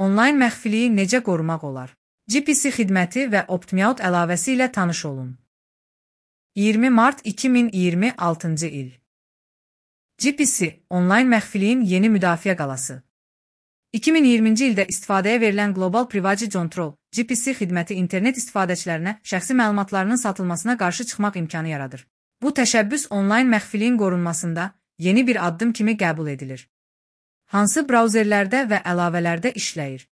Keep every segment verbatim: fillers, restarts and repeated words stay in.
Onlayn məxfiliyi necə qorumaq olar? G P C xidməti və OptMeOut əlavəsi ilə tanış olun. iyirmi mart iki min iyirmi altıncı il. G P C, onlayn məxfiliyin yeni müdafiə qalası. iki min iyirminci ildə istifadəyə verilən Global Privacy Control G P C xidməti internet istifadəçilərinə şəxsi məlumatlarının satılmasına qarşı çıxmaq imkanı yaradır. Bu təşəbbüs onlayn məxfiliyin qorunmasında yeni bir addım kimi qəbul edilir. Hansı brauzerlərdə və əlavələrdə işləyir?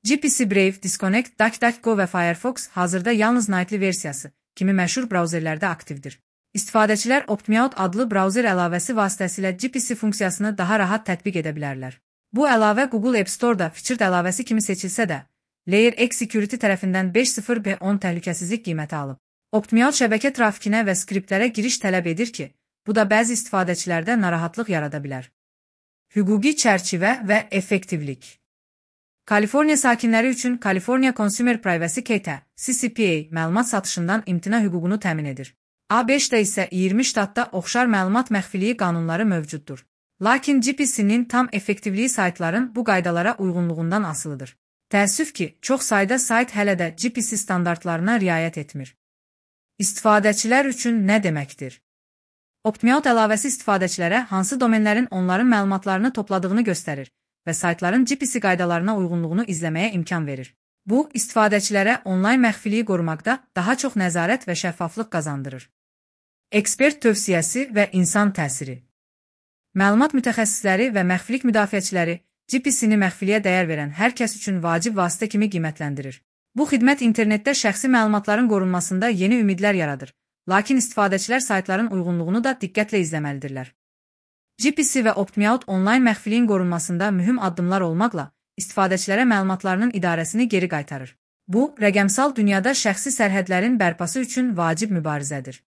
G P C Brave, Disconnect, DuckDuckGo və Firefox hazırda yalnız Nightly versiyası kimi məşhur brauzerlərdə aktivdir. İstifadəçilər OptMeOut adlı brauzer əlavəsi vasitəsilə G P C funksiyasını daha rahat tətbiq edə bilərlər. Bu əlavə Google App Store-da featured əlavəsi kimi seçilsə də, Layer X Security tərəfindən beş nöqtə sıfır B on təhlükəsizlik qiyməti alıb. OptMeOut şəbəkə trafikinə və skriptlərə giriş tələb edir ki, bu da bəzi istifadəçilərdə narahatlıq yarada bilər. Hüquqi çərçivə və effektivlik. Kaliforniya sakinləri üçün California Consumer Privacy Code C C P A məlumat satışından imtina hüququnu təmin edir. A beşdə isə iyirmi ştatda oxşar məlumat məxfiliyi qanunları mövcuddur. Lakin G P C-nin tam effektivliyi saytların bu qaydalara uyğunluğundan asılıdır. Təəssüf ki, çox sayda sayt hələ də G P C standartlarına riayət etmir. İstifadəçilər üçün nə deməkdir? OptMeOut əlavəsi istifadəçilərə hansı domenlərin onların məlumatlarını topladığını göstərir və saytların G P C qaydalarına uyğunluğunu izləməyə imkan verir. Bu, istifadəçilərə onlayn məxfiliyi qorumaqda daha çox nəzarət və şəffaflıq qazandırır. Ekspert tövsiyəsi və insan təsiri. Məlumat mütəxəssisləri və məxfilik müdafiəçiləri G P C-ni məxfiliyə dəyər verən hər kəs üçün vacib vasitə kimi qiymətləndirir. Bu xidmət internetdə şəxsi məlumatların qorunmasında yeni ümidlər yaradır, lakin istifadəçilər saytların uyğunluğunu da diqqətlə izləməlidirlər. G P C və OptMeOut onlayn məxfiliyin qorunmasında mühüm addımlar olmaqla istifadəçilərə məlumatlarının idarəsini geri qaytarır. Bu, rəqəmsal dünyada şəxsi sərhədlərin bərpası üçün vacib mübarizədir.